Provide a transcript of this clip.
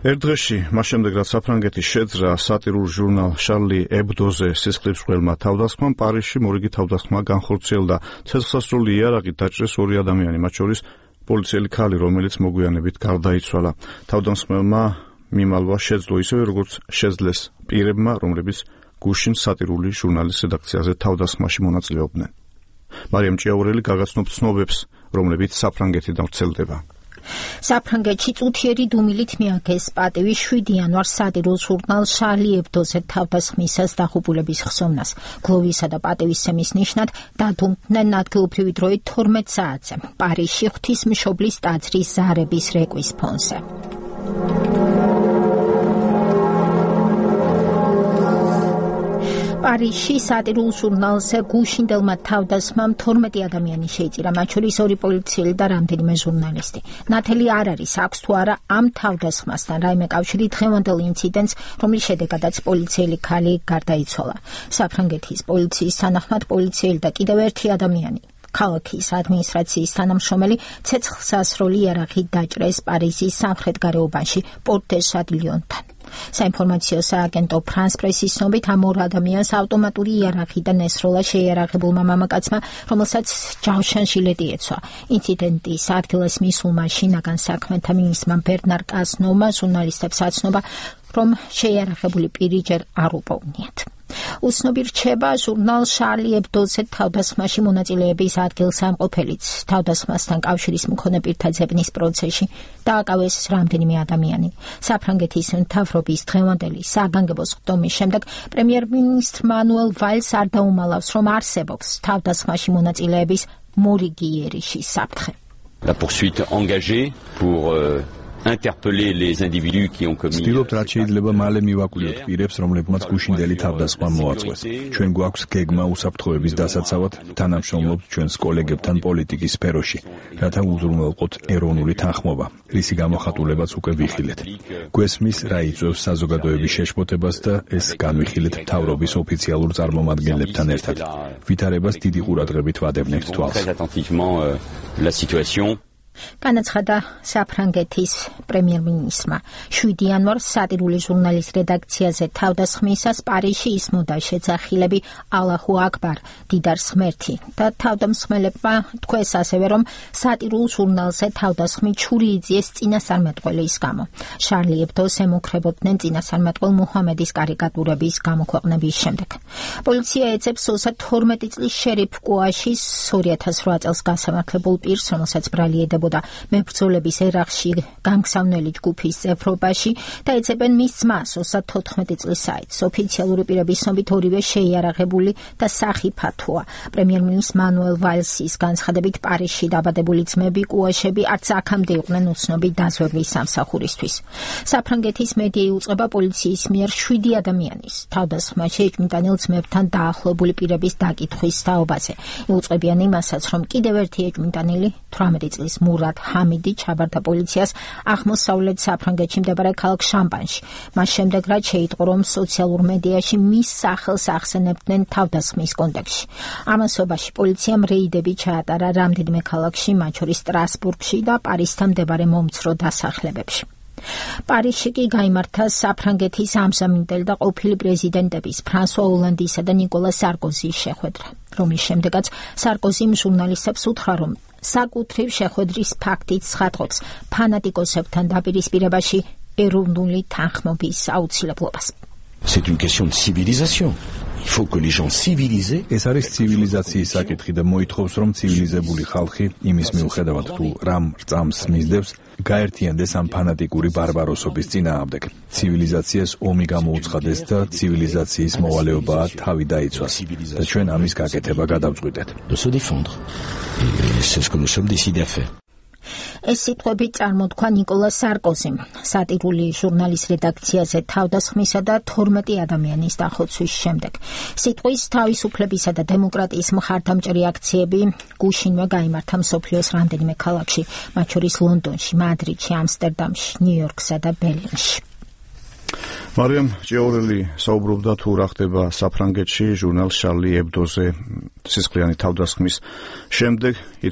ერთ დღეში, მას შემდეგ რაც საფრანგეთის შეძრა სატირულ ჟურნალ შარლი ებდოზე სისხლის მკვლელმა თავდასხმამ, პარიზში მორიგი თავდასხმა განხორციელდა. ცეცხლსასროლი იარაღით დაჭრეს 2 ადამიანი, მათ შორის პოლიციელი ქალი, რომელიც მოგვიანებით გარდაიცვალა. თავდასხმებმა მიმალვა შეძლო ისევე, როგორც შეძლეს პირებმა, რომლებიც გუშინ სატირული ჟურნალის რედაქციაზე თავდასხმაში მონაწილეობდნენ. მარიამ ჭიაურელი გაგაცნობს ცნობებს, რომლებიც საფრანგეთიდან ვრცელდება. საფრანგეთში წუთიერი დუმილით მიაგეს პატივი 7 იანვარს სატირულ ჟურნალ შარლი ებდოზე თავდასხმისას დაღუპულების ხსოვნას. გლოვისა და პატივისცემის ნიშნად დადუმდნენ ადგილობრივი დროით 12 საათზე პარიზში ღვთისმშობლის ტაძრის ზარების რეკვის ფონზე. პარიზში სატირულ ჟურნალზე გუშინდელმა თავდასხმამ 12 ადამიანი შეიწირა, მათ შორის 2 პოლიციელი და რამდენიმე ჟურნალისტი. ნათელი არ არის, აქვს თუ არა ამ თავდასხმასთან რაიმე კავშირი დღევანდელ ინციდენტს, რომლის შედეგადაც პოლიციელი ქალი გარდაიცვალა. საფრანგეთის პოლიციის თანახმად პოლიციელი და კიდევ 1 ადამიანი ქალაქის ადმინისტრაციის თანამშრომელი ცეცხლსასროლი იარაღით დაჭრეს პარიზის სამხრეთ გარეუბანში პორტ დე შატილიონთან. საინფორმაციო სააგენტო ფრანს პრესის ცნობით ამ 2 ადამიანს ავტომატური იარაღიდან ესროლა შეიარაღებულმა მამაკაცმა, რომელსაც ჯავშან ჟილეტი ეცვა. ინციდენტის ადგილას მისულმა შინაგან საქმეთა მინისტრმა ბერნარ კაზნოვმა ჟურნალისტებს აცნობა, რომ შეიარაღებული პირი ჯერ არ უპოვნიათ. უცნობი რჩება ჟურნალ შარლი ებდოზე თავდასხმაში მონაწილეების ადგილსამყოფელიც. თავდასხმასთან კავშირის მქონე პირთა ძებნის პროცესში დააკავეს რამდენიმე ადამიანი. საფრანგეთის მთავრობის დღევანდელი საგანგებო სხდომის შემდეგ პრემიერ-მინისტრ მანუელ ვალს არ დაუმალავს, რომ არსებობს თავდასხმაში მონაწილეების მორიგი იერიშის საფრთხე. La poursuite engagée pour interpeller les individus qui ont commis. Ცდილობთ რაც შეიძლება მალე მივაკვლიოთ პირებს, რომლებმაც გუშინდელი თავდასხმა მოაწყვეს. ჩვენ გვაქვს გეგმა უსაფრთხოების დასაცავად, თანამშრომლობთ ჩვენს კოლეგებთან პოლიტიკის სფეროში, რათა უზრუნველყოთ ეროვნული თანხმობა, რისი გამოხატულებაც უკვე ვიხილეთ. გვესმის რა იწვევს საზოგადოების შეშფოთებას და ეს განვიხილეთ მთავრობის ოფიციალურ წარმომადგენლებთან ერთად. ვითარებას დიდი ყურადღებით ვადევნებთ თვალს. განაცხადა საფრანგეთის პრემიერ-მინისტრმა. 7 იანვარს სატირული ჟურნალის რედაქციაზე თავდასხმისას პარიზში ისმოდა შეძახილები ალაჰუ აკბარ, დიდარ ღმერთი და თავდამსხმელებმა თქვეს ასევე, რომ სატირულ ჟურნალზე თავდასხმით ჩური იძიეს წინასწარმეტყველის გამო. შარლი ებდოს ემუქრებოდნენ წინასწარმეტყველ მუჰამედის კარიკატურების გამოქვეყნების შემდეგ. პოლიცია ეძებს 32 წლის შერიფ კუაშის 2008 წელს გასამართლებულ პირს, რომელსაც ბრალი ედებოდა მებრძოლების ერახში გამგზავნელი ჯგუფის წევრობაში და ეძებენ მის ძმას 34 წლის საიტს. ოფიციალური პირების ცნობით ორივე შეიარაღებული და სახიფათოა. პრემიერ-მინისტრ მანუელ ვალსის განცხადებით პარიზში დაბადებული ძმები კუაშები არც აქამდე იყვნენ უცნობი დაზვერვის სამსახურისთვის. საფრანგეთის მედია იუწყება პოლიციის მიერ 7 ადამიანის თავდასხმაში ეჭვმიტანილ ძმებთან დაახლოებული პირების დაკითხვის თაობაზე. იუწყებიან იმასაც, რომ კიდევ ერთი ეჭვმიტანილი 18 წლის მურად ჰამიდი ჩაბარდა პოლიციას აღმოსავლეთ საფრანგეთში მდებარე ქალაქ შამპანში. მას შემდეგ რაც შეიტყო, რომ სოციალურ მედიაში მის სახელს ახსენებდნენ თავდასხმის კონტექსტში. ამასობაში პოლიციამ რეიდები ჩაატარა რამდენიმე ქალაქში, მათ შორის სტრასბურგში და პარიზთან მდებარე მომცრო დასახლებებში. პარიზში კი გაიმართა საფრანგეთის ამჟამინდელი და ყოფილი პრეზიდენტების ფრანსუა ოლანდისა და ნიკოლა სარკოზის შეხვედრა, რომლის შემდეგაც სარკოზიმ ჟურნალისტებს უთხრა, რომ საკუთრივ შეხვედრის ფაქტით ცხადყოფს ფანატიკოსებთან დაპირისპირებაში ეროვნული თანხმობის აუცილებლობას. C'est une question de civilisation. Il faut que les gens civilisés. ეს არის ცივილიზაციის საკითხი და მოითხოვს, რომ ცივილიზებული ხალხი იმის მიუხედავად თუ რამ რწამს მისდევს, გაერთიანდეს ამ ფანატიკური ბარბაროსობის წინააღმდეგ. ცივილიზაციას ომი გამოუცხადეს და ცივილიზაციის მოვალეობაა თავი დაიცვას და ჩვენ ამის გაკეთება გადავწყვიტეთ. De se défendre. Et c'est ce que nous sommes décidés à faire. ეს სიტყვები წარმოთქვა ნიკოლა სარკოზიმ სატირული ჟურნალის რედაქციაზე თავდასხმისა და 12 ადამიანის დახოცვის შემდეგ. სიტყვის თავისუფლებისა და დემოკრატიის მხარდამჭერი აქციები გუშინვე გაიმართა მსოფლიოს რამდენიმე ქალაქში, მათ შორის ლონდონში, მადრიდში, ამსტერდამში, ნიუ-იორკსა და ბერლინში. მარიამ ჭიაურელი საუბრობდა თუ რა ხდება საფრანგეთში ჟურნალ შარლი ებდოზე სისხლიანი თავდასხმის შემდეგ.